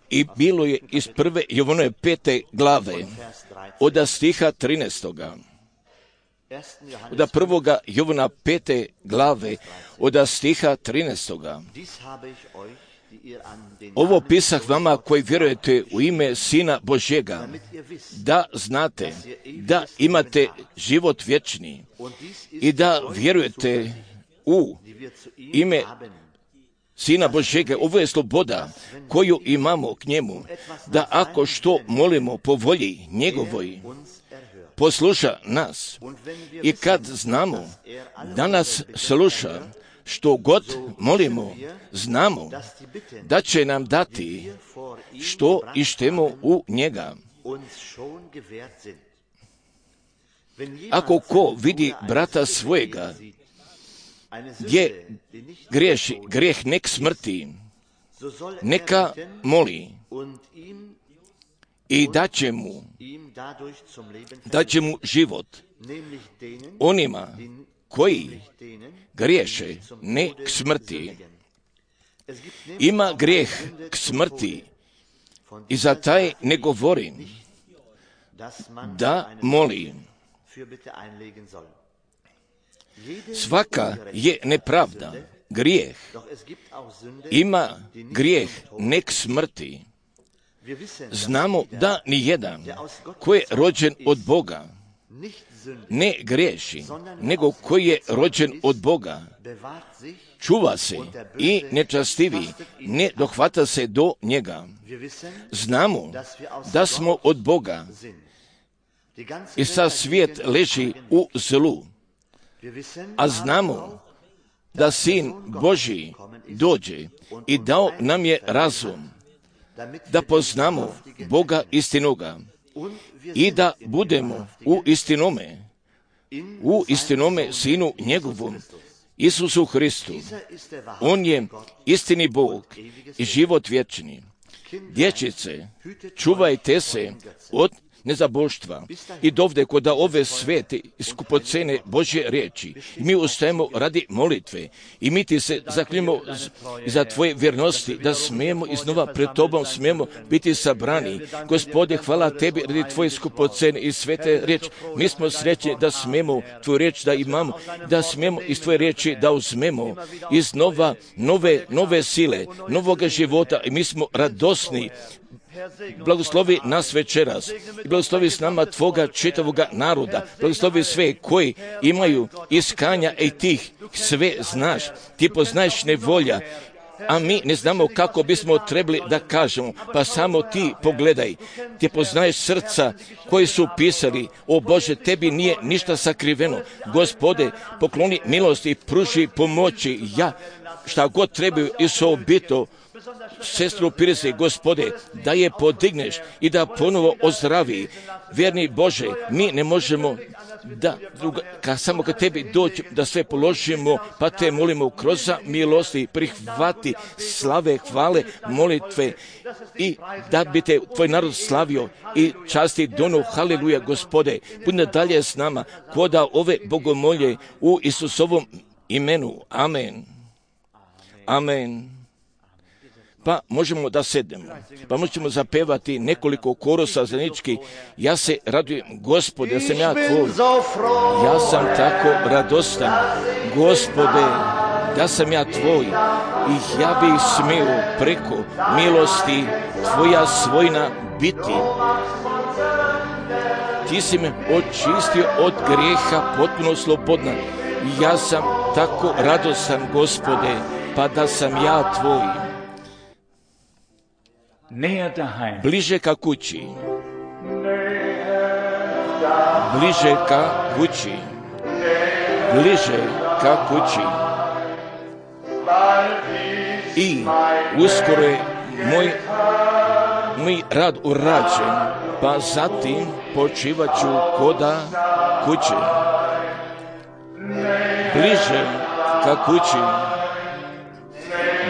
I bilo je iz prve Jovanove 5. glave, od stiha 13. Od prvoga Jovana 5. glave, od stiha 13. Ovo pisah vama koji vjerujete u ime Sina Božjega, da znate da imate život vječni i da vjerujete u ime Sina Božjega. Ovo je sloboda koju imamo k njemu, da ako što molimo po volji njegovoj, posluša nas. I kad znamo da nas sluša, što god molimo, znamo da će nam dati što ištemo u njega. Ako ko vidi brata svojega gdje griješi, grijeh nek smrti, neka moli i daće mu život. Onima koji griješe ne k smrti. Ima grijeh k smrti i za taj ne govori da moli. Svaka je nepravda, grijeh. Ima grijeh ne k smrti. Znamo da nijedan koji je rođen od Boga ne griješi, nego koji je rođen od Boga čuva se i nečastivi ne dohvata se do njega. Znamo da smo od Boga i sad svijet leži u zlu, a znamo da Sin Božji dođe i dao nam je razum da poznamo Boga istinoga i da budemo u istinome Sinu njegovom, Isusu Hristu. On je istini Bog i život vječni. Dječice, čuvajte se od nezaboštva i dovde kod ove svete i skupocene Božje riječi. I mi ustajemo radi molitve i mi ti se zaklinjemo za tvoje vjernosti da smijemo iznova pred tobom smijemo biti sabrani. Gospode, hvala tebi radi tvoje skupocene i svete riječi. Mi smo srećni da smijemo tvoju riječ da imamo, da smijemo iz tvoje riječi da uzmemo iz nove sile, novoga života i mi smo radosni. Blagoslovi nas večeras i blagoslovi s nama tvoga čitavoga naroda. Blagoslovi sve koji imaju iskanja i tih sve znaš. Ti poznaješ nevolja, a mi ne znamo kako bismo trebali da kažemo, pa samo ti pogledaj. Ti poznaješ srca koji su pisali, o Bože, tebi nije ništa sakriveno. Gospode, pokloni milost i pruži pomoći. Ja, šta god trebaju i sobito, sestru Pirse, Gospode, da je podigneš i da ponovo ozdravi. Vjerni Bože, mi ne možemo samo kad tebi doći da sve položimo, pa te molimo kroz milosti, prihvati slave, hvale, molitve i da bi te tvoj narod slavio i časti dono. Haleluja, Gospode, budi dalje s nama koda ove bogomolje u Isusovom imenu. Amen. Amen. Pa možemo da sednemo, pa možemo zapevati nekoliko korosa zajednički. Ja se radujem, Gospode, da sam ja tvoj. Ja sam tako radostan, Gospode, da sam ja tvoj. I ja bih smio preko milosti tvoja svojna biti. Ti si me očistio od grijeha, potpuno slobodna. Ja sam tako radostan, Gospode, pa da sam ja tvoj. Bliže ka kući, bliže ka kući, bliže ka kući. I uskoro je moj rad urađen, pa zatim počivat ću koda kuće. Bliže ka kući,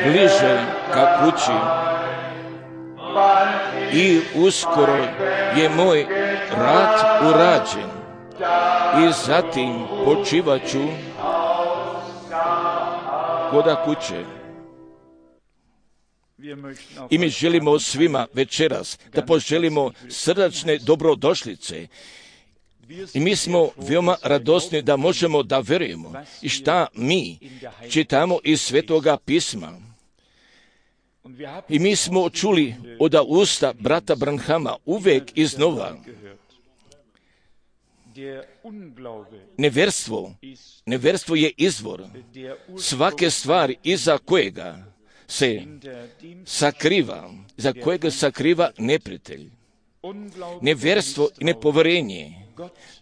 bliže ka kući. I uskoro je moj rad urađen i zatim počivat ću koda kuće. I mi želimo svima večeras da poželimo srdačne dobrodošlice. I mi smo veoma radosni da možemo da verujemo i šta mi čitamo iz Svetoga pisma. I mi smo čuli od usta brata Branhama uvek iznova neverstvo je izvor svake stvari iza kojega se sakriva neprijatelj. Neverstvo i nepoverenje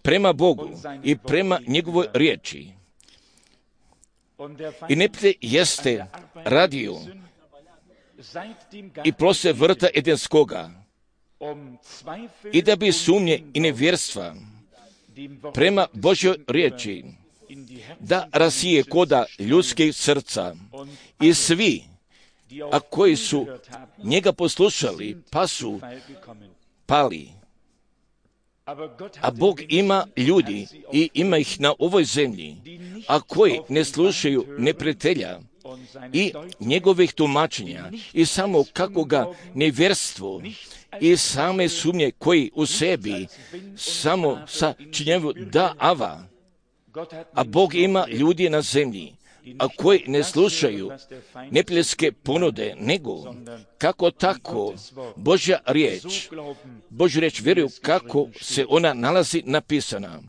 prema Bogu i prema njegovoj riječi. I neprijatelj jeste radio i plose vrta Edenskoga i da bi sumnje i nevjerstva prema Božjoj riječi da rasije koda ljudskih srca i svi, a koji su njega poslušali, pa su pali. A Bog ima ljudi i ima ih na ovoj zemlji, a koji ne slušaju neprijatelja i njegovih tumačenja i samo kakvoga nevjerstvo i same sumnje koji u sebi samo sačinjavaju da ava. A Bog ima ljudi na zemlji, a koji ne slušaju neprijateljske ponude, nego kako tako Božja riječ vjeruju kako se ona nalazi napisana.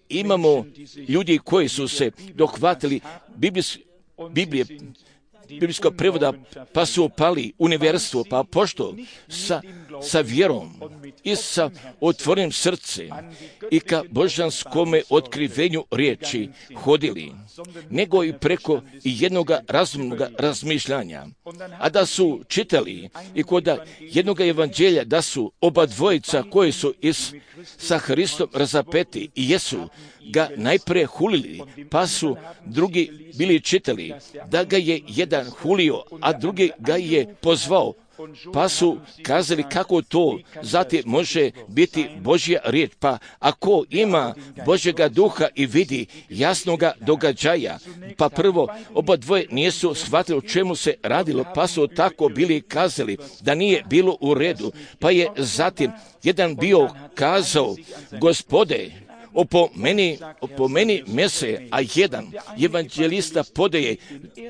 Imamo ljudi koji su se dohvatili biblijskog prevoda, pa su opali u nevjerstvo, pa pošto sa vjerom i sa otvorenim srcem i ka božanskome otkrivenju riječi hodili, nego i preko jednog razumnog razmišljanja. A da su čitali i kod jednog evanđelja da su oba dvojica koji su sa Hristom razapeti i jesu ga najprije hulili, pa su drugi bili čitali da ga je jedan hulio, a drugi ga je pozvao, pa su kazali kako to zatim može biti Božja riječ. Pa ako ima Božjega duha i vidi jasnoga događaja, pa prvo oba dvoje nisu shvatili o čemu se radilo, pa su tako bili kazali da nije bilo u redu, pa je zatim jedan bio kazao: Gospode, opomeni mese, a jedan evanđelista podaje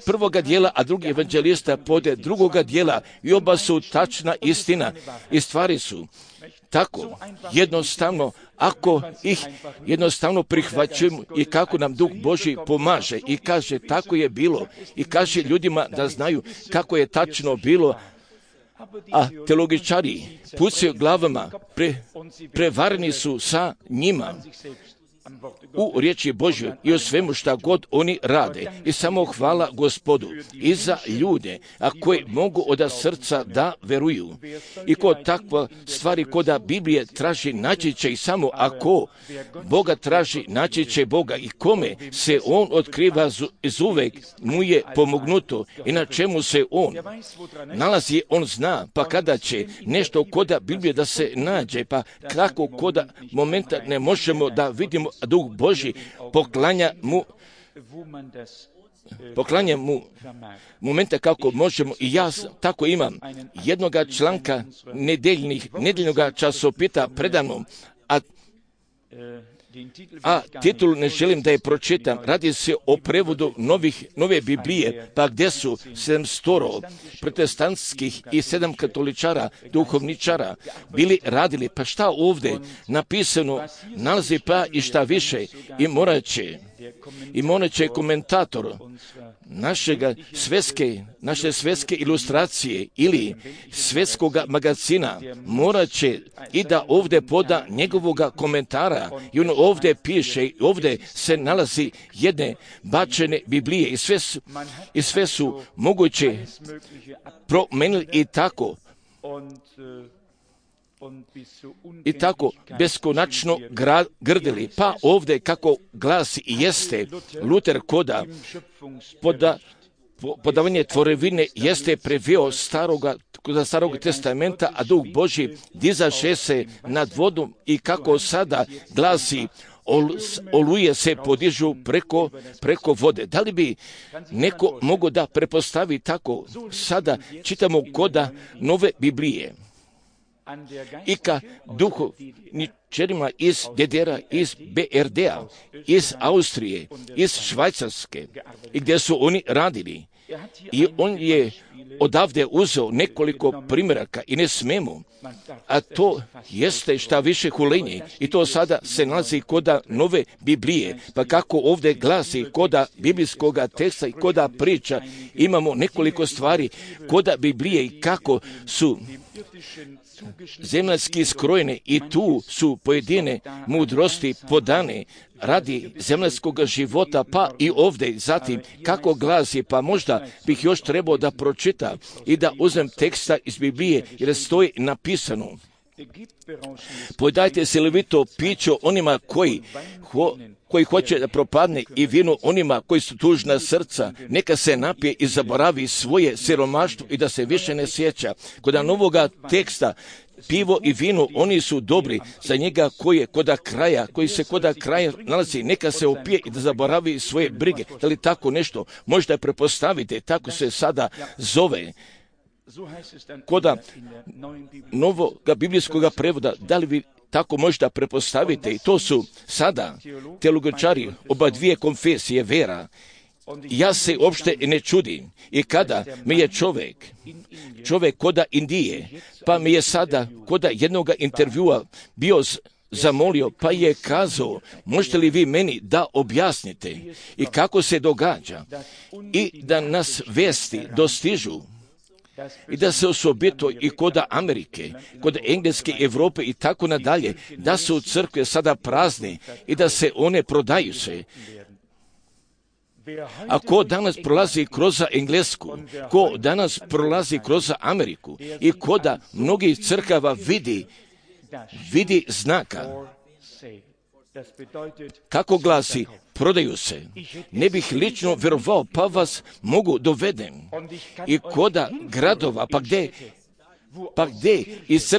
prvoga dijela, a drugi evanđelista podaje drugoga dijela i oba su tačna istina i stvari su tako jednostavno, ako ih jednostavno prihvaćujemo i kako nam Duh Božji pomaže i kaže tako je bilo i kaže ljudima da znaju kako je tačno bilo, a teologičari pucaju glavama, prevareni su sa njima u riječi Božjoj i o svemu šta god oni rade. I samo hvala Gospodu i za ljude, a koji mogu od srca da veruju. I kod takva stvari koda Biblije traži naći će i samo ako Boga traži naći će Boga i kome se On otkriva izuvek mu je pomognuto i na čemu se On nalazi, On zna, pa kada će nešto koda Biblije da se nađe, pa kako koda momenta ne možemo da vidimo Duh Božji poklanja mu momenta kako možemo. I ja tako imam jednoga članka nedeljnog časopita predano, a titul ne želim da je pročitam. Radi se o prevodu nove Biblije, pa gdje su 700 protestantskih i 7 katoličara, duhovničara bili radili. Pa šta ovdje napisano nalazi, pa i šta više, i morat će komentator naše svjetske ilustracije ili svjetskog magazina morat će i da ovdje poda njegovoga komentara i on ovdje piše, ovdje se nalazi jedne bačene Biblije i sve su moguće promenili i tako beskonačno grdili. Pa ovdje kako glasi i jeste Luter koda podavanje tvorevine jeste preveo starog testamenta, a Duh Božji dizaše se nad vodom i kako sada glasi oluje se podižu preko vode. Da li bi neko mogao da prepostavi tako? Sada čitamo koda nove Biblije. I ka duhovničarima iz DDR-a, iz BRD-a, iz Austrije, iz Švajcarske, i gdje su oni radili. I on je odavde uzeo nekoliko primjeraka i ne smemo, a to jeste šta više hulenje. I to sada se nalazi koda nove Biblije. Pa kako ovdje glasi koda biblijskoga teksta i koda priča, imamo nekoliko stvari koda Biblije i kako su zemaljski skrojene i tu su pojedine mudrosti podane radi zemaljskog života, pa i ovdje. Zatim, kako glasi, pa možda bih još trebao da pročita i da uzmem teksta iz Biblije, jer stoji napisano. Podajte se levito pićo onima koji hoće da propadne i vino onima koji su tužna srca, neka se napije i zaboravi svoje siromaštvo i da se više ne sjeća. Kod novoga teksta pivo i vino, oni su dobri za njega koji se koda kraja nalazi, neka se opije i da zaboravi svoje brige. Da li tako nešto možda prepostavite, tako se sada zove. Koda novoga biblijskoga prevoda, da li vi tako možda prepostavite? I to su sada teologičari oba dvije konfesije vera. Ja se uopšte ne čudim. I kada mi je čovjek koda Indije, pa mi je sada koda jednoga intervjua bio zamolio, pa je kazao, možete li vi meni da objasnite i kako se događa i da nas vesti dostižu i da se osobito i koda Amerike, kod Engleske, Evrope i tako nadalje, da su crkve sada prazne i da se one prodaju se. A ko danas prolazi kroz Englesku, ko danas prolazi kroz Ameriku i koda mnogih crkava vidi znaka. Kako glasi, prodaju se. Ne bih lično vjerovao, pa vas mogu dovedem. I koda gradova, pa gdje iz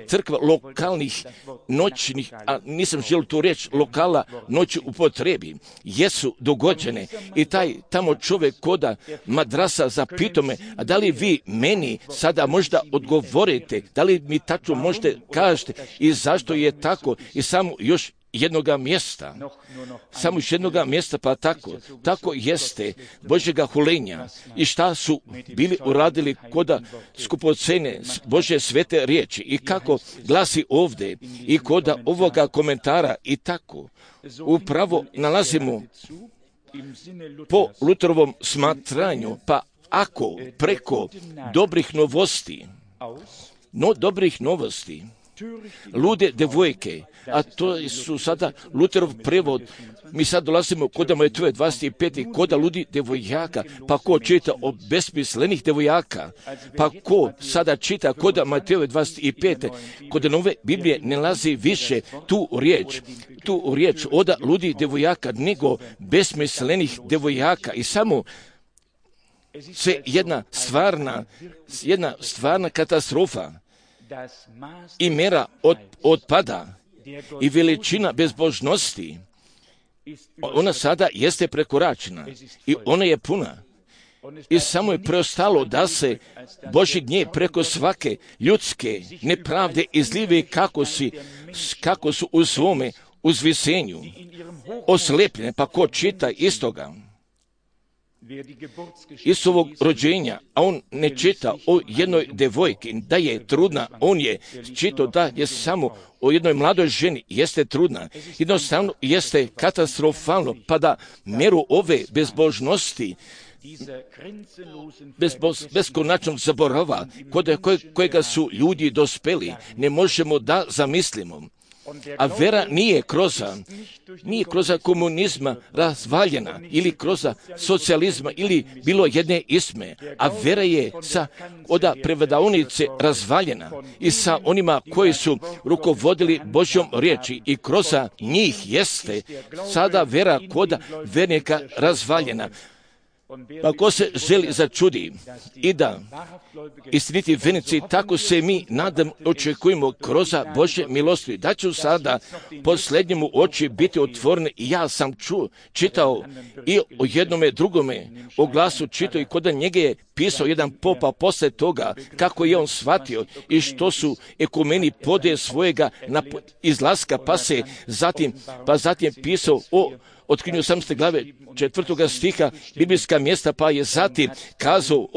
crkva lokalnih noćnih, a nisam želio tu reći lokala noći upotrebi, jesu dogođene. I taj tamo čovjek koda madrasa zapitao me, a da li vi meni sada možda odgovorite, da li mi tačno možete kažete i zašto je tako i samo još jednoga mjesta. Samo još jednoga mjesta, pa tako jeste Božjega hulenja. I šta su bili uradili koda skupocene Božje svete riječi i kako glasi ovdje i koda ovoga komentara i tako. Upravo nalazimo po Luterovom smatranju, pa ako preko dobrih novosti, lude devojke, a to su sada Luterov prevod, mi sad dolazimo koda Matejove 25. koda ludi devojaka, pa ko čita o besmislenih devojaka, pa ko sada čita koda Matejove 25. Kod nove Biblije ne nalazi više tu riječ oda ludi devojaka, nego besmislenih devojaka i samo sve jedna stvarna katastrofa i mera otpada i veličina bezbožnosti, ona sada jeste prekoračena i ona je puna. I samo je preostalo da se Božji gnjev preko svake ljudske nepravde izlive kako su u svome uzvisenju oslepljene, pa ko čita istoga iz ovog rođenja, a on ne čita o jednoj devojki da je trudna, on je čitao da je samo o jednoj mladoj ženi, jeste trudna, jednostavno jeste katastrofalno, pa da mjeru ove bezbožnosti beskonačnog zaborava kojega su ljudi dospeli, ne možemo da zamislimo. A vera nije kroz komunizma razvaljena ili kroz socijalizma ili bilo jedne isme, a vera je od prevodavnice razvaljena i sa onima koji su rukovodili Božjom riječi i kroz njih jeste sada vera kod vernika razvaljena. Pa ko se želi začudi i da istiniti vjernici, tako se mi nadam očekujemo kroz Božje milosti. Da ću sada posljednjemu oči biti otvorene. Ja sam čitao i o jednome drugome o glasu čitao i kod njega je pisao jedan popa poslije toga kako je on shvatio i što su ekumeni pode svojega izlaska, pa zatim pisao o otkrinju 18. glave 4. stiha biblijska mjesta, pa je zatim kazao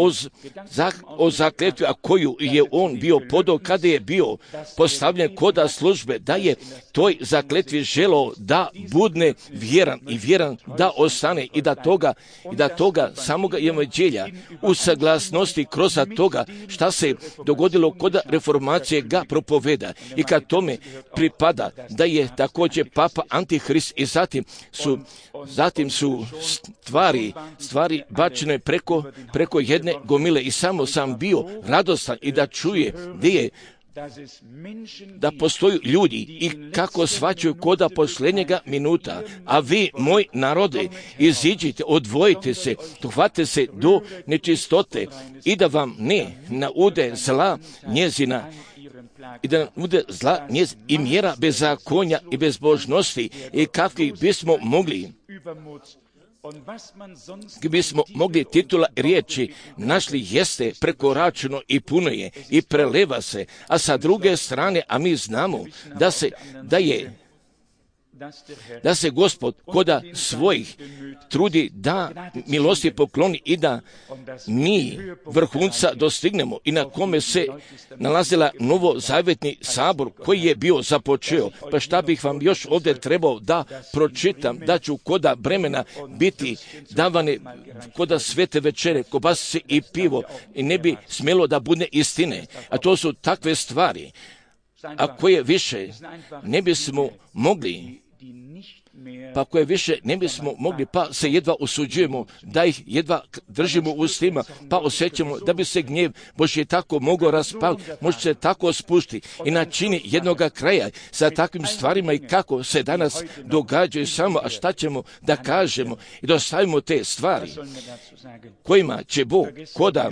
o zakletvi, a koju je on bio podao kada je bio postavljen koda službe, da je toj zakletvi želao da budne vjeran i vjeran da ostane i da toga samoga evanđelja u saglasnosti kroz toga šta se dogodilo kod reformacije ga propoveda i kad tome pripada da je također papa Antihrist i zatim su stvari bačene preko jedne gomile i samo sam bio radostan i da čuje da postoju ljudi i kako shvaćaju koda posljednjega minuta, a vi, moj narode, iziđite, odvojite se, dohvate se do nečistote i da vam ne naude zla njezina i da nam bude zla i mjera bezakonja i bezbožnosti i kakvih bismo mogli titula riječi našli jeste prekoračeno i puno je i preleva se, a sa druge strane, a mi znamo da se Gospod koda svojih trudi da milosti pokloni i da mi vrhunca dostignemo i na kome se nalazila novozavjetni sabor koji je bio započeo. Pa šta bih vam još ovdje trebao da pročitam, da ću koda bremena biti davane koda svete večere, kobasice i pivo i ne bi smjelo da bude istine. A to su takve stvari, a koje više ne bismo mogli, pa se jedva osuđujemo, da ih jedva držimo u ustima, pa osjećamo da bi se gnjev Božji tako mogao raspaliti, može se tako spušti i načini jednoga kraja sa takvim stvarima i kako se danas događaju samo, a šta ćemo da kažemo i da ostavimo te stvari kojima će Bog koda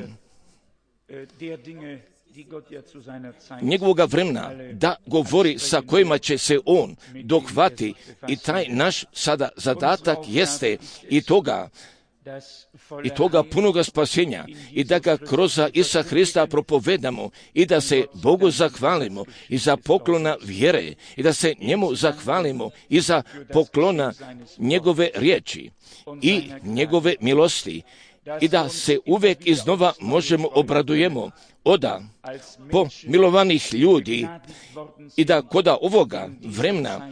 njegovoga vremena da govori sa kojima će se on dohvati i taj naš sada zadatak jeste i toga punoga spasenja i da ga kroz Isusa Hrista propovedamo i da se Bogu zahvalimo i za poklona vjere i da se njemu zahvalimo i za poklona njegove riječi i njegove milosti i da se uvijek iznova možemo obradujemo po milovanih ljudi i da koda ovoga vremena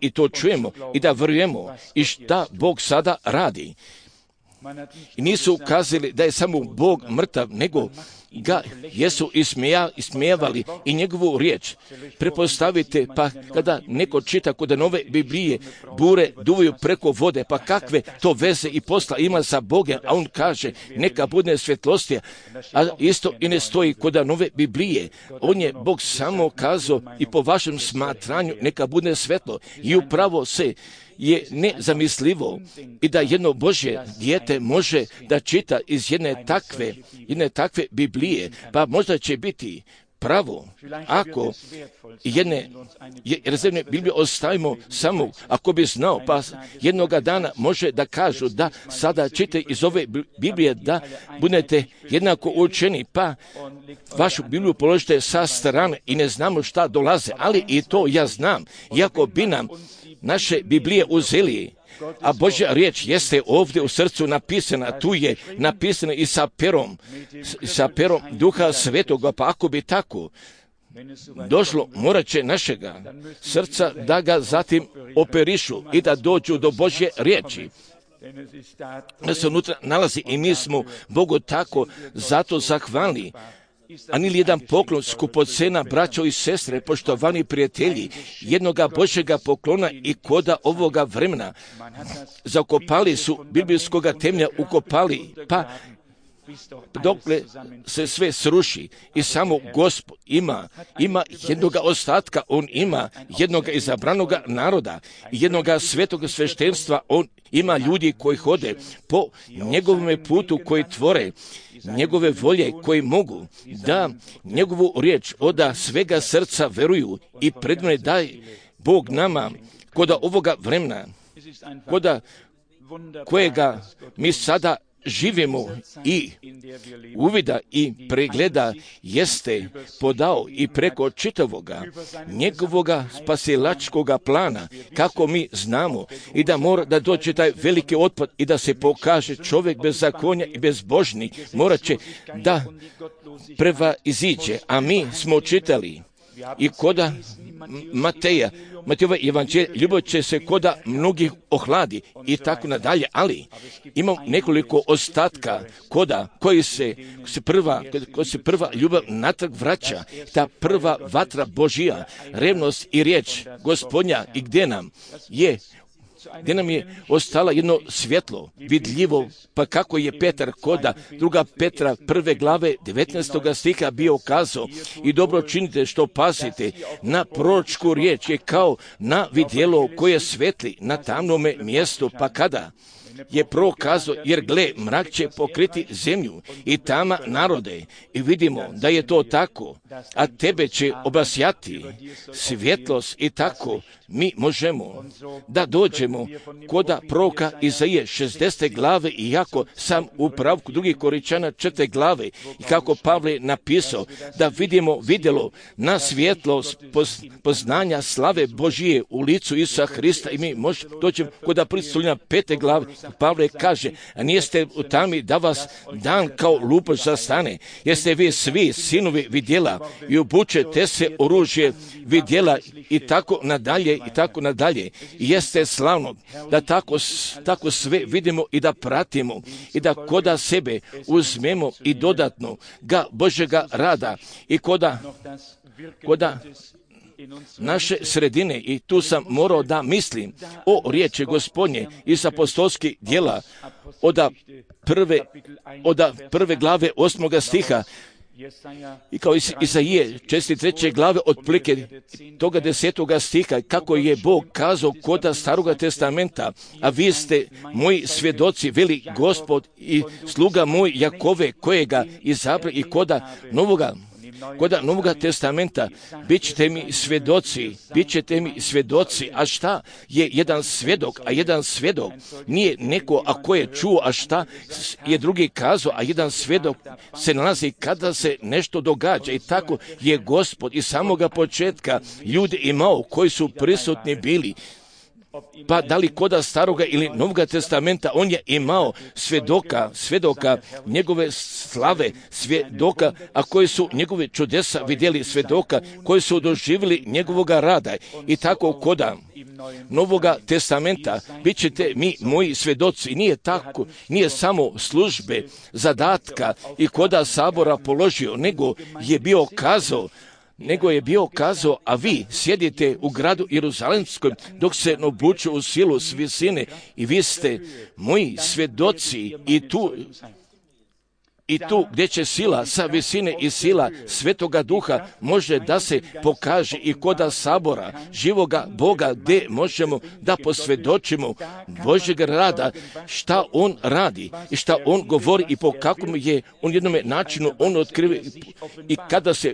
i to čujemo i da vjerujemo i šta Bog sada radi. I nisu ukazali da je samo Bog mrtav, nego ga jesu ismijavali i njegovu riječ. Prepostavite, pa kada neko čita kod nove Biblije, bure duvaju preko vode, pa kakve to veze i posla ima sa Bogom, a on kaže neka bude svjetlostija, a isto i ne stoji kod nove Biblije. On je Bog samo kazao i po vašem smatranju neka bude svetlo i upravo se je nezamislivo i da jedno Božje dijete može da čita iz jedne takve Biblije, pa možda će biti pravo ako rezervne Biblije ostavimo samo ako bi znao, pa jednoga dana može da kažu da sada čite iz ove Biblije da budete jednako učeni, pa vašu Bibliju položite sa strane i ne znamo šta dolaze, ali i to ja znam, iako bi nam naše Biblije uzeli, a Božja riječ jeste ovdje u srcu napisana, tu je napisana i sa perom Duha Svetoga, pa ako bi tako došlo, morat će našega srca da ga zatim operišu i da dođu do Božje riječi. Da se unutra nalazi i mi smo Bogu tako zato zahvalni. A nili jedan poklon skupocena, braćo i sestre, poštovani prijatelji, jednoga Božjega poklona i koda ovoga vremena. Zakopali su biblijskoga temelja, ukopali, pa dokle se sve sruši i samo Gospod ima jednoga ostatka, on ima jednoga izabranoga naroda, jednoga svetoga sveštenstva, on ima ljudi koji hode po njegovome putu, koji tvore njegove volje, koji mogu da njegovu riječ oda svega srca veruju i predmene daj Bog nama koda ovoga vremena, koda kojega mi sada živimo i uvida i pregleda jeste podao i preko čitavoga njegovoga spasilačkoga plana, kako mi znamo i da mora da dođe taj veliki otpad i da se pokaže čovjek bez zakonja i bezbožni, morat će da prevaziđe, a mi smo čitali i koda Matejova evanđelje, ljubav će se koda mnogih ohladi i tako nadalje, ali imam nekoliko ostatka koji se prva ljubav natrag vraća, ta prva vatra Božija, revnost i riječ Gospodnja i gdje nam je ostala jedno svjetlo, vidljivo, pa kako je Petar koda druga Petra 1. glave 19. stiha bio kazao i dobro činite što pazite na proročku riječ je kao na vidjelo koje svetli na tamnome mjestu, pa kada je prokazao, jer gle, mrak će pokriti zemlju i tama narode i vidimo da je to tako, a tebe će obasjati svjetlost i tako mi možemo da dođemo koda proroka Izaije 60. glave, iako sam u pravku 2. Korinčana 4. glave i kako Pavle napisao da vidjelo na svjetlost poznanja slave Božije u licu Isusa Hrista i mi možemo dođemo koda predstavljena 5. glave. Pavle kaže, a nijeste u tami da vas dan kao lupoš zastane, jeste vi svi sinovi vidjela i obučete se oružje vidjela i tako nadalje i tako nadalje. I jeste slavno da tako sve vidimo i da pratimo i da koda sebe uzmemo i dodatno ga Božjega rada i koda naše sredine, i tu sam morao da mislim o riječi Gospodnje iz apostolskih djela od prve glave 8. stiha i kao Izaije 43. glave otprilike toga 10. stiha, kako je Bog kazao koda Staroga testamenta, a vi ste moji svjedoci, veli Gospod, i sluga moj Jakove kojega izabra, i koda Novoga testamenta bit ćete mi svjedoci, a šta je jedan svjedok, a jedan svjedok nije neko ako je čuo, a šta je drugi kazao, a jedan svjedok se nalazi kada se nešto događa i tako je Gospod iz samoga početka ljudi imao koji su prisutni bili. Pa da li koda Staroga ili Novoga testamenta, on je imao svjedoka njegove slave, svjedoka, a koji su njegove čudesa vidjeli, svjedoka koji su doživjeli njegovoga rada. I tako koda Novoga testamenta bit ćete mi moji svjedoci. Nije tako, nije samo službe, zadatka i koda sabora položio, nego je bio kazao, a vi sjedite u gradu Jeruzalemskom dok se obuču u silu s visine i vi ste moji svjedoci i tu gdje će sila sa visine i sila Svetoga Duha može da se pokaže i koda sabora živoga Boga, gdje možemo da posvjedočimo Božjeg rada, šta on radi i šta on govori i po kakvom je on jednom načinu on otkriva i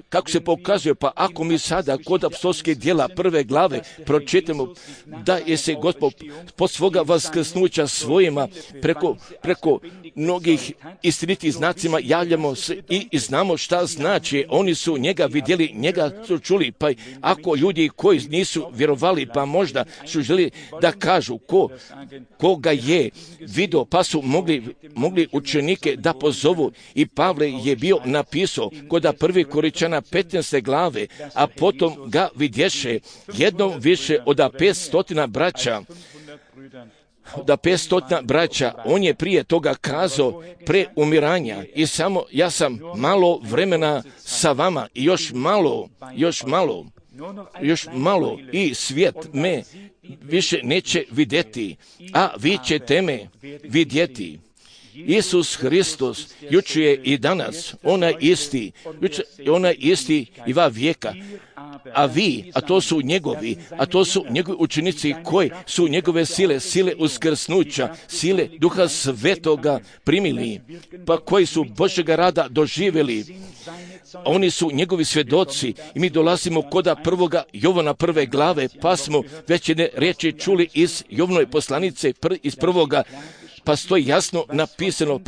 kako se pokazuje. Pa ako mi sada kod apostolskih djela 1. glave pročitamo da je se Gospod pod svoga vaskrsnuća svojima preko mnogih istinitih znacima javljamo se i znamo šta znači. Oni su njega vidjeli, njega su čuli, pa ako ljudi koji nisu vjerovali, pa možda su želi da kažu koga je vidio, pa su mogli učenike da pozovu. I Pavle je bio napisao kod 1. Korinčana 15. glave, a potom ga vidješe jednom više od 500 braća. Da 500 braća, on je prije toga kazao pre umiranja i samo ja sam malo vremena sa vama i još malo i svijet me više neće vidjeti, a vi ćete me vidjeti. Isus Hristos, jučer je i danas, onaj isti i va vijeka. A vi, a to su njegovi učenici koji su njegove sile uskrsnuća, sile Duha Svetoga primili, pa koji su Božjega rada doživjeli. Oni su njegovi svjedoci i mi dolazimo kod prvoga Jovana 1. glave, pa smo već jedne riječi čuli iz Jovanove poslanice iz prvoga, pa stoji jasno napisano,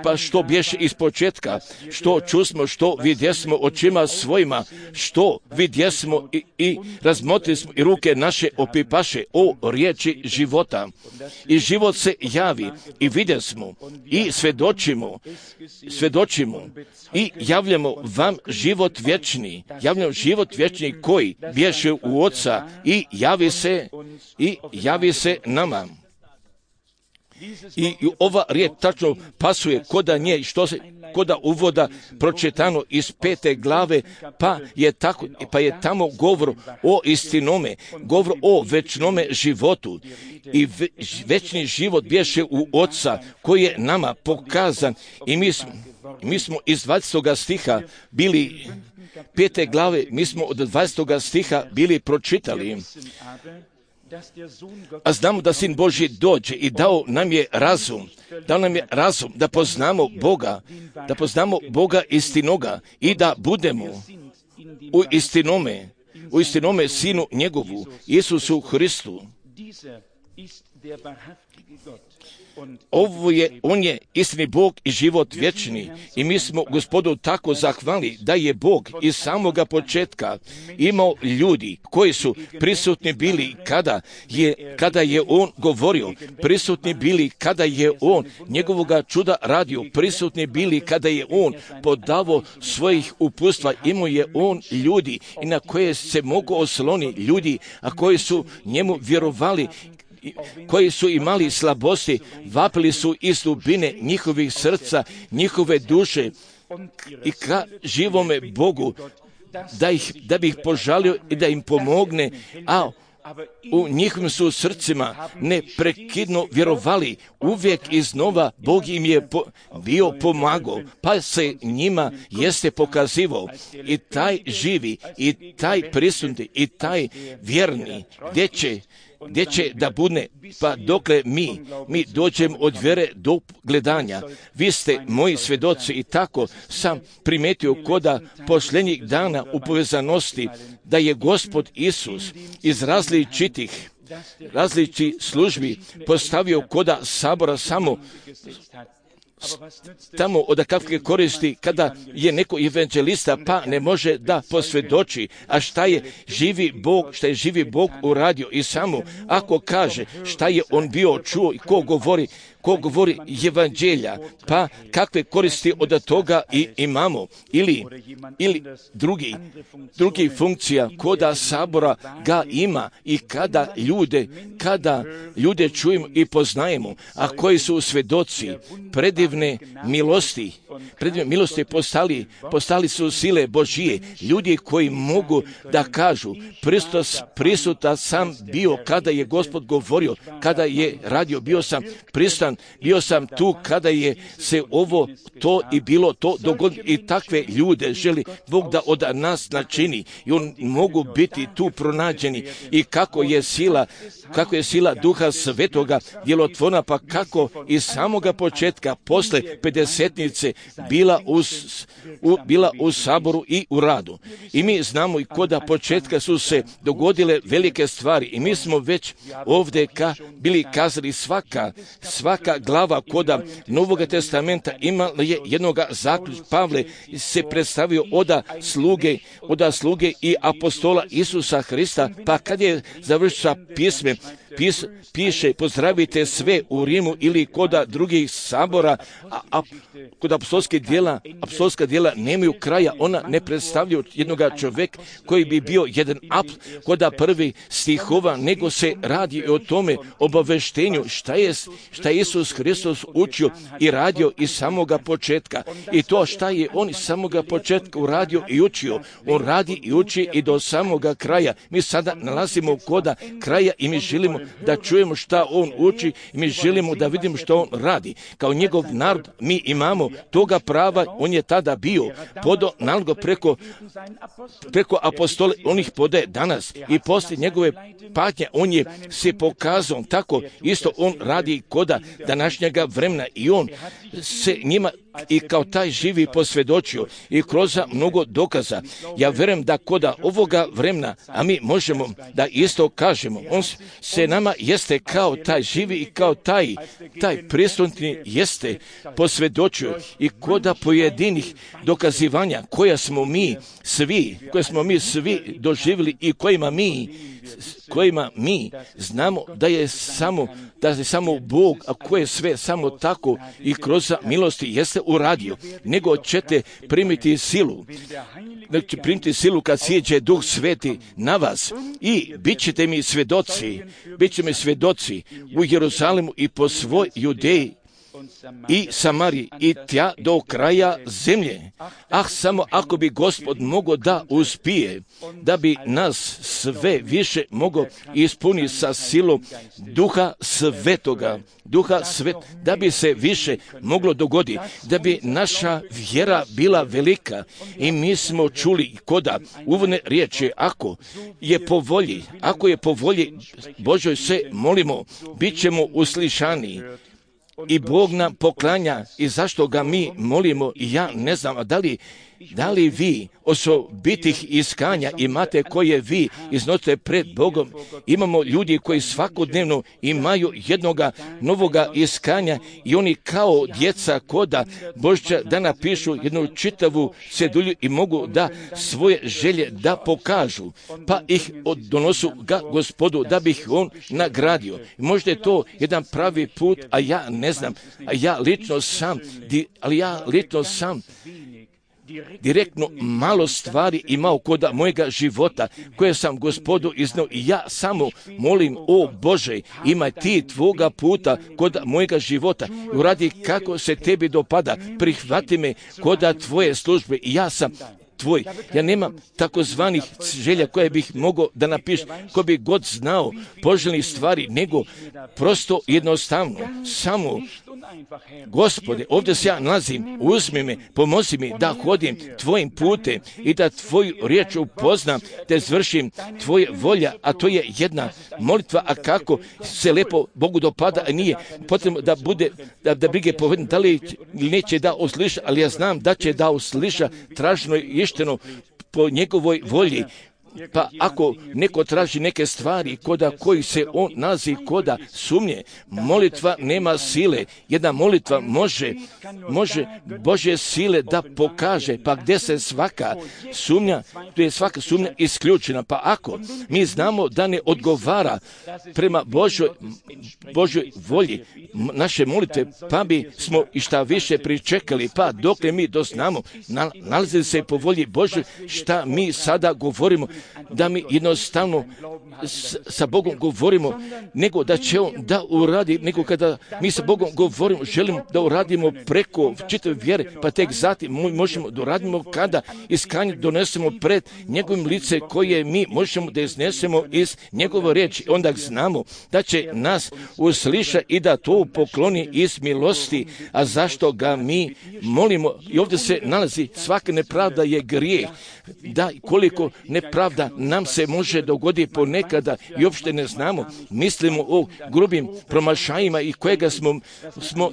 pa što bješe iz početka, što čusmo, što vidjesmo očima svojima, što vidjesmo i razmotrismo i ruke naše opipaše o riječi života. I život se javi i vidjesmo i svjedočimo i javljamo vam život vječni koji bješe u Oca i javi se nama. I ova riječ tačno pasuje koda nje, koda uvoda pročitano iz 5. glave, pa je tamo govor o istinome, govor o večnome životu. I večni život bješe u Oca koji je nama pokazan i mi smo iz 20. stiha bili 5. glave, mi smo od 20. stiha bili pročitali. A znamo da Sin Božji dođe i dao nam je razum da poznamo Boga istinoga i da budemo u istinome Sinu njegovu, Isusu Hristu. On je istini Bog i život vječni i mi smo Gospodu tako zahvalni da je Bog iz samoga početka imao ljudi koji su prisutni bili kada je On govorio, prisutni bili kada je On njegovoga čuda radio, prisutni bili kada je On podavao svojih uputstva, imao je On ljudi i na koje se mogu osloni ljudi, a koji su njemu vjerovali, koji su imali slabosti, vapili su iz dubine njihovih srca, njihove duše i ka živome Bogu da bi ih požalio i da im pomogne, a u njihovim su srcima neprekidno vjerovali, uvijek iznova Bog im je bio pomagao, pa se njima jeste pokazivao i taj živi, i taj prisutni, i taj vjerni, gdje će da bude, pa dokle mi dođemo od vjere do gledanja. Vi ste moji svjedoci i tako sam primetio koda posljednjih dana u povezanosti da je Gospod Isus iz različitih službi postavio koda sabora samo tamo od kakve koristi kada je neko evanđelista pa ne može da posvjedoči, a šta je živi Bog uradio i samo ako kaže šta je on bio čuo i ko govori evanđelja, pa kakve koristi od toga i imamo, ili drugi funkcija koda sabora ga ima i kada ljude čujemo i poznajemo, a koji su svjedoci predivne milosti postali su sile Božije, ljudi koji mogu da kažu prisutan sam bio kada je Gospod govorio, kada je radio, bio sam prisutan, bio sam tu kada je se ovo, to i bilo to dogodilo i takve ljude želi Bog da od nas načini i on mogu biti tu pronađeni i kako je sila Duha Svetoga djelotvorna, pa kako iz samoga početka posle pedesetnice bila u saboru i u radu. I mi znamo i koda početka su se dogodile velike stvari i mi smo već ovdje bili kazali svaka glava koda Novoga testamenta imala je jednoga zaključka. Pavle se predstavio oda sluge i apostola Isusa Hrista, pa kad je završio sa pismem, piše pozdravite sve u Rimu ili koda drugih sabora, a kod apostolska djela nemaju kraja, ona ne predstavljaju jednoga čovjeka koji bi bio jedan koda prvi stihova, nego se radi o tome obaveštenju šta je Isus Hristos učio i radio iz samoga početka. I to šta je on iz samoga početka uradio i učio, on radi i uči i do samoga kraja. Mi sada nalazimo koda kraja i mi želimo da čujemo šta on uči i mi želimo da vidimo što on radi. Kao njegov narod mi imamo toga prava, on je tada bio podo naloga preko apostola, on ih podaje danas i poslije njegove patnje on je se pokazao tako, isto on radi koda današnjega vremena i on se njima i kao taj živi posvjedočio i kroz mnogo dokaza. Ja vjerujem da koda ovoga vremena, a mi možemo da isto kažemo, on se nama jeste kao taj živi i kao taj prisutni jeste posvjedočio i koda pojedinih dokazivanja koja smo mi svi doživjeli i kojima mi znamo da je samo Bog, a koje sve samo tako i kroz milosti jeste uradio, nego ćete primiti silu. Znači, primiti silu kad sjeđe Duh Sveti na vas i bit ćete mi svjedoci u Jeruzalemu i po svoj Judeji i Samariji i tja do kraja zemlje. Samo ako bi Gospod mogao da uspije, da bi nas sve više mogao ispuniti sa silom Duha Svetoga, da bi se više moglo dogoditi, da bi naša vjera bila velika. I mi smo čuli koda uvodne riječi, ako je po volji Božoj se molimo, bit ćemo uslišani. I Bog nam poklanja i zašto ga mi molimo, i ja ne znam, da li vi osobitih iskanja imate koje vi iznosite pred Bogom. Imamo ljudi koji svakodnevno imaju jednoga novoga iskanja i oni kao djeca koda Božća da napišu jednu čitavu cedulju i mogu da svoje želje da pokažu, pa ih donosu ga Gospodu da bi ih on nagradio. Možda je to jedan pravi put, a ja ne znam, ja lično sam direktno malo stvari imao koda mojega života koje sam Gospodu iznao i ja samo molim, o Bože, imaj ti tvoga puta koda mojega života i uradi kako se tebi dopada, prihvati me koda tvoje službe i ja sam tvoj. Ja nemam takozvanih želja koje bih mogao da napišem, ko bi god znao poželjnih stvari, nego prosto jednostavno samo Gospode, ovdje se ja nalazim, uzmi me, pomozi mi da hodim tvojim putem i da tvoju riječ upoznam, te zvršim tvoje volja, a to je jedna molitva, a kako se lepo Bogu dopada, a nije potrebno da bude, da brige povedem, da li neće da usliša, ali ja znam da će da usliša traženo i išteno po njegovoj volji. Pa ako neko traži neke stvari koda koji se on nalazi koda sumnje, molitva nema sile. Jedna molitva može Božje sile da pokaže, pa gdje se svaka sumnja, tu je svaka sumnja isključena. Pa ako mi znamo da ne odgovara prema Božoj volji naše molitve, pa bi smo i šta više pričekali, pa dokle mi doznamo, nalazi se po volji Božoj šta mi sada govorimo, da mi jednostavno sa Bogom govorimo, nego da će on da uradi, nego kada mi sa Bogom govorimo, želimo da uradimo preko čitave vjere, pa tek zatim možemo da uradimo kada iskanje donesemo pred njegovim lice koje mi možemo da iznesemo iz njegove riječi. Onda znamo da će nas usliša i da to pokloni iz milosti, a zašto ga mi molimo. I ovdje se nalazi svaka nepravda je grijeh, da koliko nepravda nam se može dogoditi ponekada i uopšte ne znamo. Mislimo o grubim promašajima i kojega smo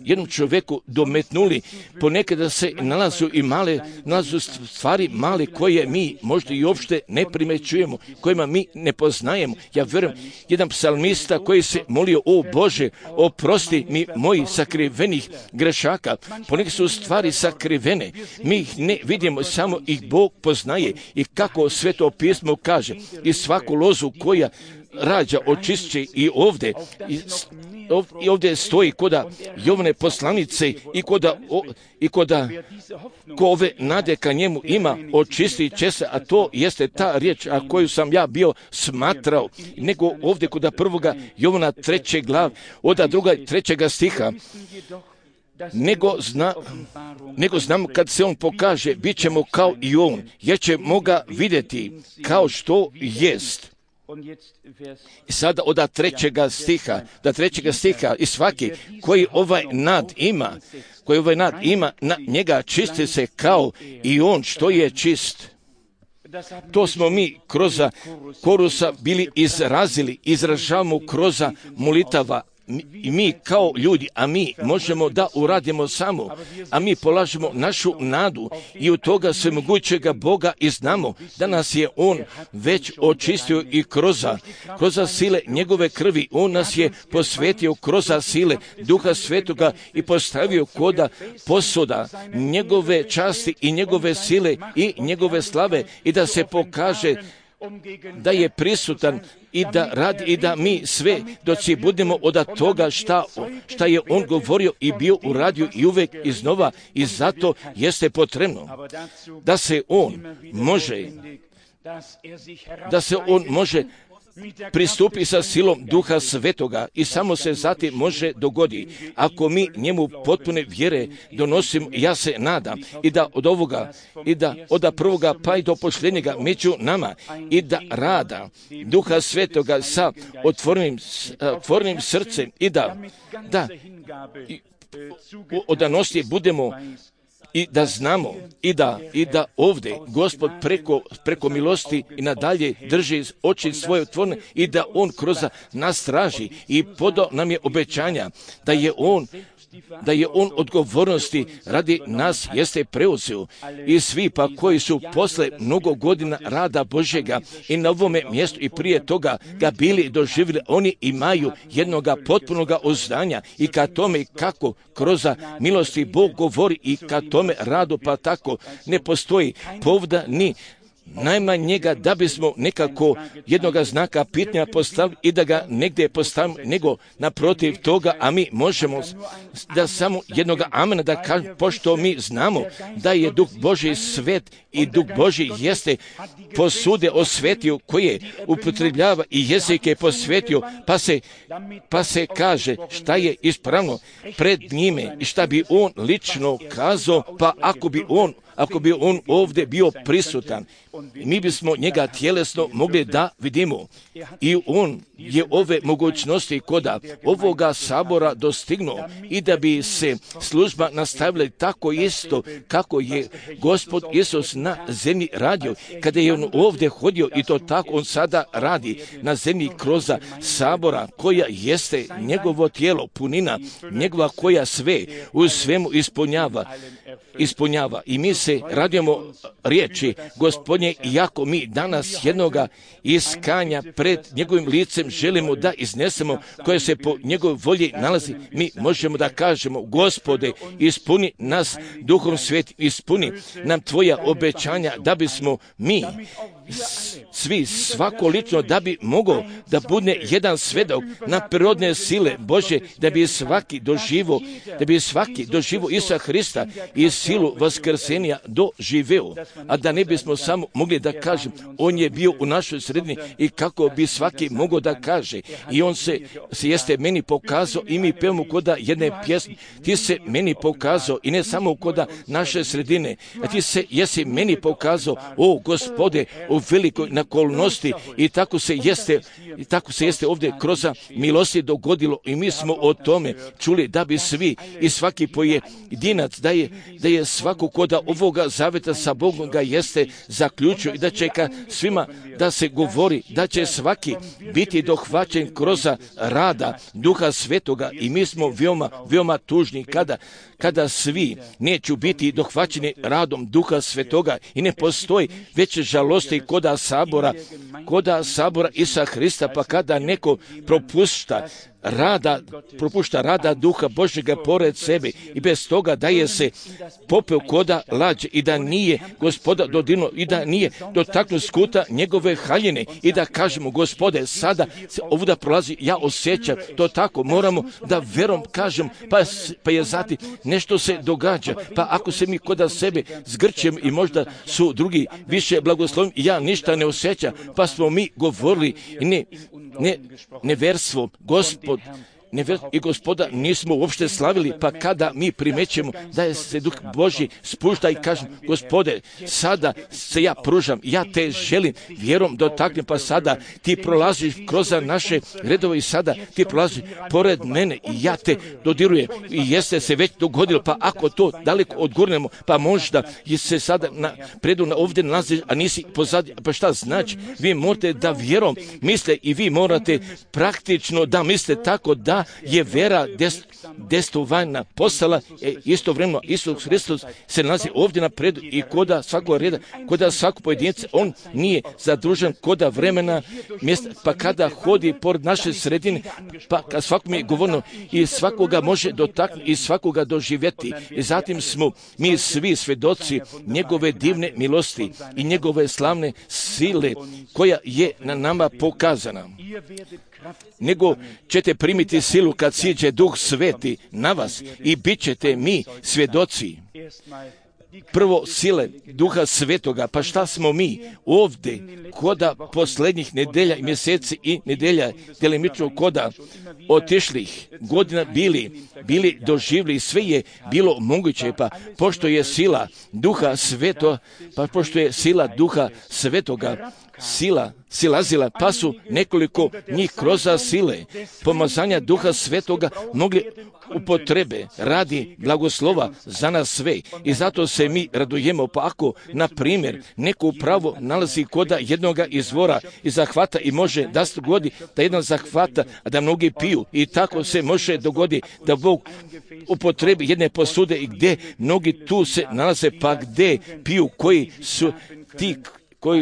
jednom čovjeku dometnuli. Ponekada se nalazu stvari male koje mi možda i uopšte ne primećujemo, kojima mi ne poznajemo. Ja vjerujem, jedan psalmista koji se molio, o Bože, oprosti mi mojih sakrivenih grešaka. Ponekad su stvari sakrivene, mi ih ne vidimo, samo ih Bog poznaje i kako Sveto pismo kaže, i svaku lozu koja rađa očišće i ovdje ovdje stoji koda Jovane poslanice i koda ko ove nade ka njemu ima, očistit će se, a to jeste ta riječ koju sam ja bio smatrao, nego ovdje koda 1. Jovana 3. glav, od 2. 3. stiha, nego znam kad se on pokaže, bit ćemo kao i on, jer ćemo ga vidjeti kao što jest. I sada od 3. stiha, i svaki koji ovaj nad ima, na njega čisti se kao i on što je čist. To smo mi kroz korusa bili izražavamo kroz molitava. I mi kao ljudi, a mi možemo da uradimo samo, a mi polažemo našu nadu i od toga svemogućega Boga i znamo da nas je On već očistio i kroz sile njegove krvi. On nas je posvetio kroz sile Duha Svetoga i postavio koda posuda njegove časti i njegove sile i njegove slave i da se pokaže da je prisutan i da radi i da mi sve doci budemo od toga šta je on govorio i bio uradio i uvek iznova, i zato jeste potrebno da se on može pristupi sa silom Duha Svetoga i samo se zatim može dogoditi. Ako mi njemu potpune vjere donosimo, ja se nadam i da od ovoga i da od prvoga pa i do posljednjega među nama i da rada Duha Svetoga sa otvorenim srcem i da odanosti budemo i da znamo i da ovdje Gospod preko milosti i nadalje drži oči svoje otvorene i da On kroz nas traži i podao nam je obećanja da je on odgovornosti radi nas jeste preuzeo i svi pa koji su posle mnogo godina rada Božjega i na ovome mjestu i prije toga ga bili doživjeli, oni imaju jednoga potpunoga uzdanja i ka tome kako kroz milosti Bog govori i ka tome radu, pa tako ne postoji povda ni najmanjega da bismo nekako jednoga znaka pitanja postavili i da ga negdje postavimo, nego naprotiv toga, a mi možemo da samo jednoga amena da kažemo, pošto mi znamo da je Duh Božji svet i Duh Božji jeste posude osvetio koje upotrebljava i jezike posvetio, pa se kaže šta je ispravno pred njime i šta bi on lično kazao, pa ako bi on ovdje bio prisutan, mi bismo njega tjelesno mogli da vidimo. I on je ove mogućnosti koda ovoga sabora dostignuo i da bi se služba nastavila tako isto kako je Gospod Isus na zemlji radio. Kada je on ovdje hodio i to tako on sada radi na zemlji kroz sabora koja jeste njegovo tijelo, punina njegova koja sve u svemu ispunjava. I mi se radujemo riječi Gospodnje, iako mi danas jednoga iskanja pred njegovim licem želimo da iznesemo koje se po njegovoj volji nalazi, mi možemo da kažemo: Gospode, ispuni nas Duhom Svetim, ispuni nam tvoja obećanja da bismo mi svi, svako lično, da bi mogao da bude jedan svedok na prirodne sile Bože, da bi svaki doživo Isusa Hrista i silu vaskrsenja doživeo, a da ne bismo samo mogli da kažem on je bio u našoj sredini i kako bi svaki mogao da kaže i on se jeste meni pokazao i mi pevamo koda jedne pjesme, ti se meni pokazao i ne samo koda naše sredine, a ti se jesi meni pokazao, o Gospode, u velikoj nakolnosti i tako se jeste ovdje kroz milosti dogodilo i mi smo o tome čuli da bi svi i svaki pojedinac da je svako koda ovoga zaveta sa Bogom ga jeste zaključio i da će ka svima da se govori, da će svaki biti dohvaćen kroz rada Duha Svetoga i mi smo veoma tužni kada svi neću biti dohvaćeni radom Duha Svetoga i ne postoji veće žalosti koda sabora Isa Hrista, pa kada neko propušta propušta rada Duha Božjega pored sebe i bez toga daje se popeo koda lađe i da nije Gospoda dodirnuo i da nije dotaknuo skuta njegove haljine i da kažemo, Gospode, sada se ovuda prolazi, ja osjećam to tako, moramo da verom kažem, pa je zatim nešto se događa, pa ako se mi koda sebe zgrćem i možda su drugi više blagoslovni, ja ništa ne osjećam, pa smo mi govorili neverstvo, i Gospoda nismo uopšte slavili, pa kada mi primećemo da je se Duh Božji spušta i kažem, Gospode, sada se ja pružam, ja te želim, vjerom dotaknem, pa sada ti prolaziš kroz naše redove i sada ti prolaziš pored mene i ja te dodirujem i jeste se već dogodilo, pa ako to daleko odgurnemo, pa možda je se sada ovdje nalaziš, a nisi pozadnji, pa šta znači? Vi morate da vjerom misle i vi morate praktično da misle tako da je vera destovanja postala istovremeno Isus Hristos se nalazi ovdje napredu i koda svakog reda, koda svakog pojedinca, on nije zadružen koda vremena mjesta, pa kada hodi pored naše sredine, pa kad svakom je govorno i svakoga može dotaknuti i svakoga doživjeti. I zatim smo mi svi svedoci njegove divne milosti i njegove slavne sile koja je na nama pokazana. Nego ćete primiti silu kad siđe Duh Sveti na vas i bit ćete mi svjedoci. Prvo sile Duha Svetoga, pa šta smo mi ovdje koda posljednjih nedelja i mjeseci i nedelja delimično koda otišlih godina bili doživjeli, sve je bilo moguće, pa pošto je sila Duha Svetoga, silazila, pa su nekoliko njih kroz sile pomazanja Duha Svetoga mogli upotrebe radi blagoslova za nas sve. I zato se mi radujemo, pa ako, na primjer, neko upravo nalazi koda jednoga izvora i zahvata i može da se dogodi da jedan zahvata, a da mnogi piju. I tako se može dogodi da Bog upotrebi jedne posude i gdje mnogi tu se nalaze, pa gdje piju koji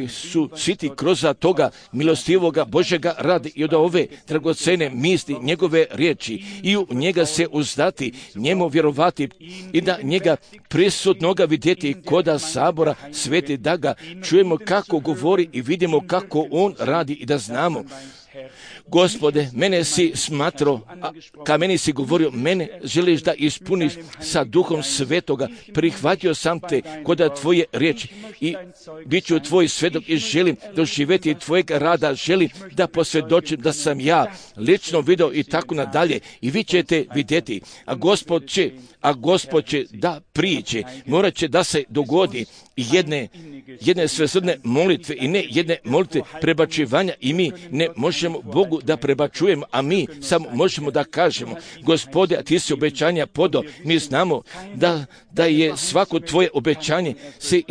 su siti kroz toga milostivoga Božjega rada i od ove dragocene misli njegove riječi i u njega se uzdati, njemu vjerovati i da njega prisutnoga vidjeti koda sabora sveti, da ga čujemo kako govori i vidimo kako on radi i da znamo. Gospode, mene si smatrao, ka meni si govorio, mene želiš da ispuniš sa Duhom Svetoga, prihvatio sam te koda tvoje riječi i bit ću tvoj svedok i želim doživjeti tvojeg rada, želim da posvjedočim da sam ja lično vidio i tako nadalje i vi ćete vidjeti, a Gospod će da prijeđe, morat će da se dogodi jedne svesrdne molitve i ne jedne molitve prebačivanja i mi ne možemo Bogu da prebačujemo, a mi samo možemo da kažemo, Gospode, a ti si obećanja podao, mi znamo da je svako tvoje obećanje se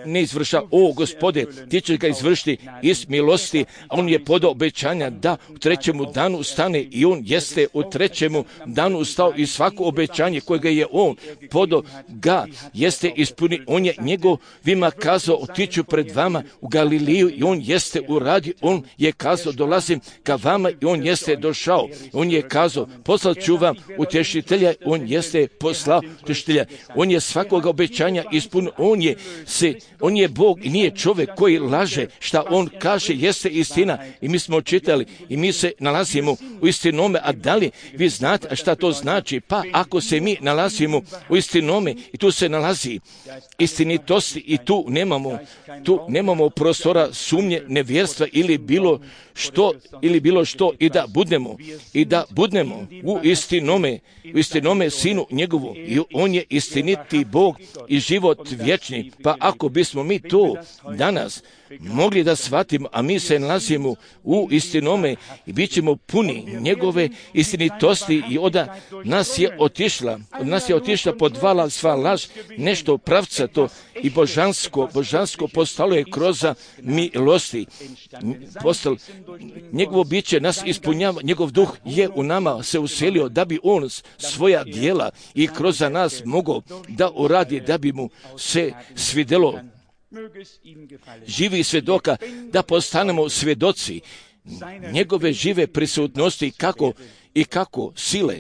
ne izvrša, o Gospode, ti ćeš ga izvršiti iz milosti, a on je podao obećanja da u trećemu danu ustane i on jeste u trećemu danu ustao i svako obećanje kojega je on podao ga jeste ispuni, on je njegovima kazao, otiću pred vama u Galiliju i on jeste uradio, on je kazao, dolazim ka vama i on jeste došao, on je kazao, poslat ću vam utješitelja, on jeste poslao utješitelja, on je svakoga obećanja ispunio, on je Bog i nije čovjek koji laže, šta on kaže jeste istina i mi smo čitali i mi se nalazimo u istinome, a da li vi znate šta to znači? Pa ako se mi nalazimo u istinome i tu se nalazi istinitosti i tu nemamo prostora sumnje, nevjerstva ili bilo što i da budemo u istinome sinu njegovu i on je istiniti Bog i život vječni. Pa ako bismo mi to danas mogli da shvatimo, a mi se nalazimo u istinome i bit ćemo puni njegove istinitosti i od nas je otišla podvala sva laž, nešto pravcato i božansko postalo je kroz milosti. Njegovo biće nas ispunjava, njegov duh je u nama se uselio da bi on svoja djela i kroz nas mogao da uradi, da bi mu se svidjelo živi svjedoka, da postanemo svjedoci njegove žive prisutnosti kako sile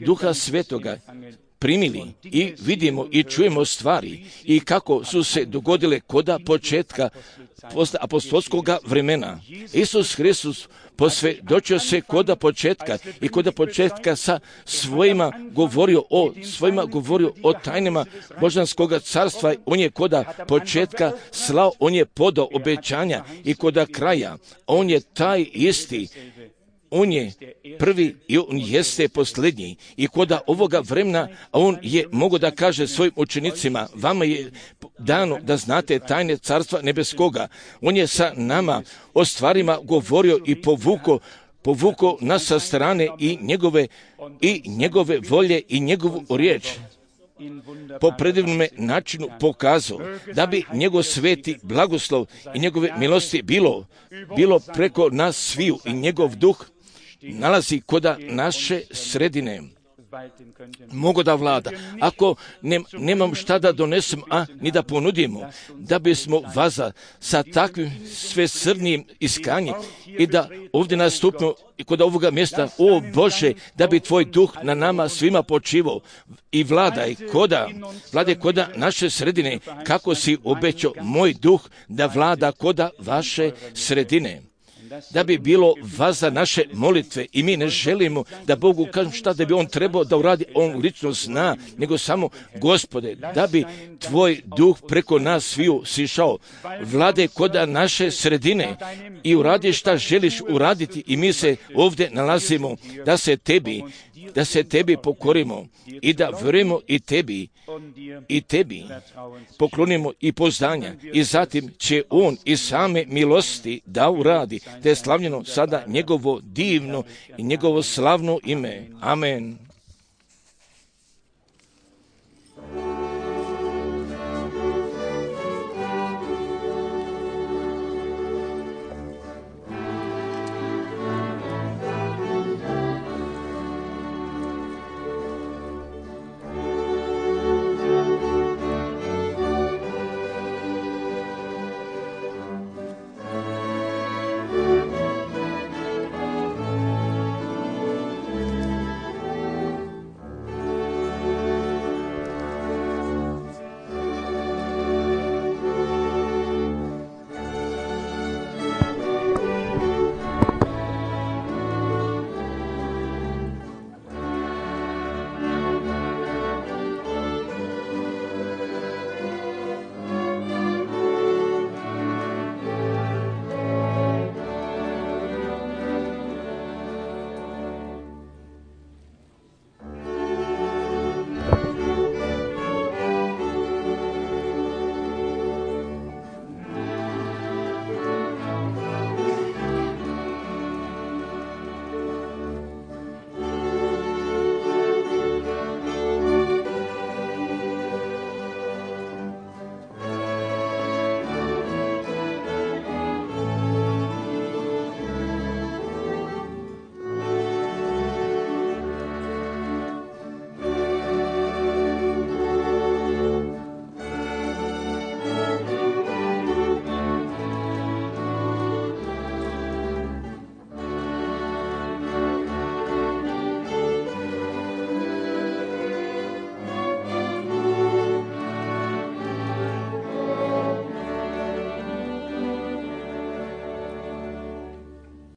Duha Svetoga primili i vidimo i čujemo stvari i kako su se dogodile koda početka apostolskoga vremena. Isus Hristus posvjedočio se koda početka sa svojima govorio o tajnama božanskoga carstva. On je koda početka slao, on je podao obećanja i koda kraja. On je taj isti. On je prvi i on jeste posljednji. I koda ovoga vremena on je mogao da kaže svojim učenicima, vama je dano da znate tajne carstva nebeskoga. On je sa nama o stvarima govorio i povukao nas sa strane i njegove volje i njegovu riječ po predivnom načinu pokazao da bi njegov sveti blagoslov i njegove milosti bilo preko nas sviju i njegov duh nalazi koda naše sredine. Mogu da vlada. Ako nemam šta da donesem, a ni da ponudimo, da bismo vaza sa takvim svesrdnim iskanjem i da ovdje nastupimo i kod ovoga mjesta, o Bože, da bi Tvoj duh na nama svima počivao i vladaj koda naše sredine, kako si obećao moj duh da vlada koda vaše sredine. Da bi bilo vaza naše molitve i mi ne želimo da Bogu kažem šta da bi On trebao da uradi, On lično zna, nego samo Gospode, da bi Tvoj duh preko nas sviju sišao, vlade koda naše sredine i uradi šta želiš uraditi i mi se ovdje nalazimo da se Tebi pokorimo i da vjerujemo i Tebi poklonimo i poznanja i zatim će On iz same milosti da uradi, da je slavljeno sada njegovo divno i njegovo slavno ime. Amen.